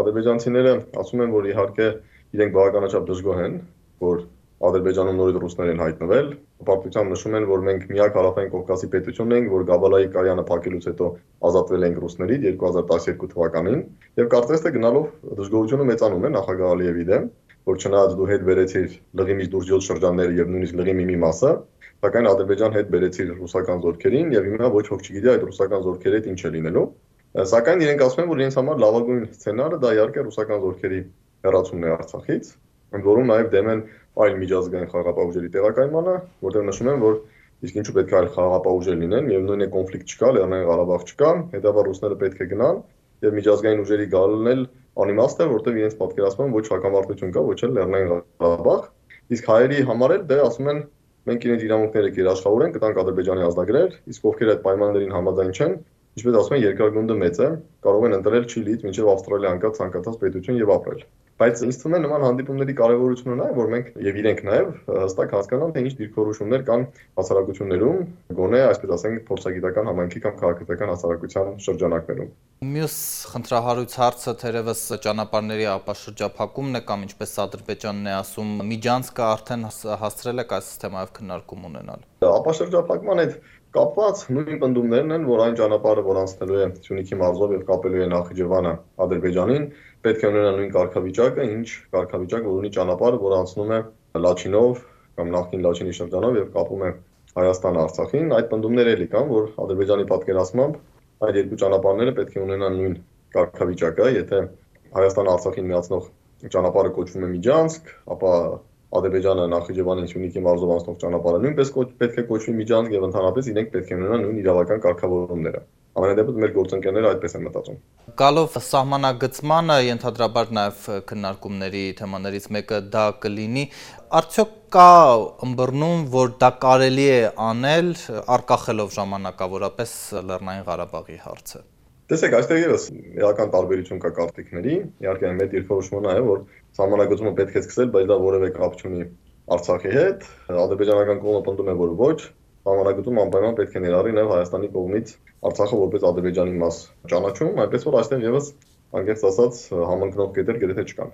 Ադրբեջանցիները ասում են, որ իհարկե իրենք բավականաչափ դժգոհ են, որ Ադրբեջանում նորից ռուսներ են հայտնվել։ Հպարտությամբ նշում են, որ մենք միակ հարավային Կովկասի պետությունն ենք, որ Գաբալայի կայանը փակելուց հետո ազատվել ենք ռուսներից 2012 թվականին, եւ կարծես թե գնալով դժգոհությունը մեծանում է նախագահ Ալիևի դեմ, որ չնայած դու հետ բերեցիր լղիմից դուրս 7 շրջանները եւ նույնիսկ լղիմի մի մասը, սակայն Ադրբեջան հետ բերեցիր ռուսական զորքերին եւ հիմա ոչ ոք չգիտի այդ ռուսական զորքերի հետ ինչ է լինելու։ Սակայն իրենք ասում են, որ իրենց համար լավագույն սցենարը դա իհարկե ռուսական զորքերի հեռացումն է Արցախից, ընդ որում նաև դեմ են այլ միջազգային խաղաղապահ ուժերի տեղակայմանը, որտեղ նշում են, որ իսկ ինչու պետք է այլ խաղաղապահ ուժեր լինեն, միևնույն է կոնֆլիկտ չկա, Լեռնային Ղարաբաղ չկա, հետաբար ռուսները պետք է գնան եւ միջազգային ուժերի գալն էլ անիմաստ է, որտեղ իրենց պատկերացնում են ոչ հակամարտություն կա, ոչ էլ Լեռնային Ղարաբաղ, իսկ հայերի համար էլ դե ասում են մենք իրենց իրավունքները կերաշխավորենք, կտանք Ադրբեջանի ազդագրեր, իսկ ովքեր այդ պայմաններին համաձայն չեն, ինչպես ասում են, երկրագնդը մեծ է, կարող են ընտրել Չիլիից մինչև Ավստրալիա անկած ցանկացած պետություն եւ ապրել։ Բայց ինձ թվում է նման հանդիպումների կարևորությունը նա է, որ մենք եւ իրենք նաեւ հստակ հասկանան, թե ինչ դիրքորոշումներ կան հասարակություններում, գոնե այսպես ասենք, փորձագիտական համայնքի կամ քաղաքական հասարակության շրջանակներում։ Մյուս խնդրահարույց հարցը թերևս ճանապարհների ապաշրջափակումն է կամ ինչպես Ադրբեջանն է ասում, միջանցքը արդեն հասցրել եք այս թեմայով քննարկում ունենալ։ Ապաշրջափակման այդ կապված նույն պնդումներն են, որ այն ճանապարհը, որ անցնելու է Սյունիքի մարզով եւ կապելու է Նախիջևանը Ադրբեջանին, պետք է ունենա նույն կարգավիճակը, ինչ կարգավիճակ որ ունի ճանապարհը, որը անցնում է Լաչինով կամ նախկին Լաչինի շրջանով եւ կապում է Հայաստան Արցախին։ Այդ պնդումները էլի կան, որ Ադրբեջանի պատկերացմամբ այդ երկու ճանապարհները պետք է ունենան նույն կարգավիճակը, եթե Հայաստան Արցախին միացնող ճանապարհը կոչվում է Միջանցք, ապա Ադրբեջանը Նախիջևանին Սյունիքի մարզով անցնող ճանապարհը նույնպես պետք է կոչվի Միջանցք եւ ընդհանրապես իրենք պետք է ունենան նույն իրավական կարգավորումները։ Ամենադեպս մեր գործընկերները այդպես են մտածում։ Գալով սահմանագծմանը, ենթադրաբար նաև քննարկումների թեմաներից մեկը դա կլինի, արդյոք կա ըմբռնում, որ դա կարելի է անել առկախելով ժամանակավորապես Լեռնային Ղարաբաղի հարցը։ Տեսեք, այստեղ եւս էական տարբերություն կա կարծիքների, իհարկե այն մեծ դիրքորոշումը նա է, որ սահմանագծումը պետք է սկսել, բայց դա որևէ կապ չունի Արցախի հետ։ Ադրբեջանական կողմը պնդում է, որ ոչ, սահմանագծում անպայման պետք է ներառի նաև Հայաստանի կողմից Արցախը որպես Ադրբեջանի մաս ճանաչում, այնպես որ այստեղ եւս անկեղծ ասած համընկնող կետեր գրեթե չկան։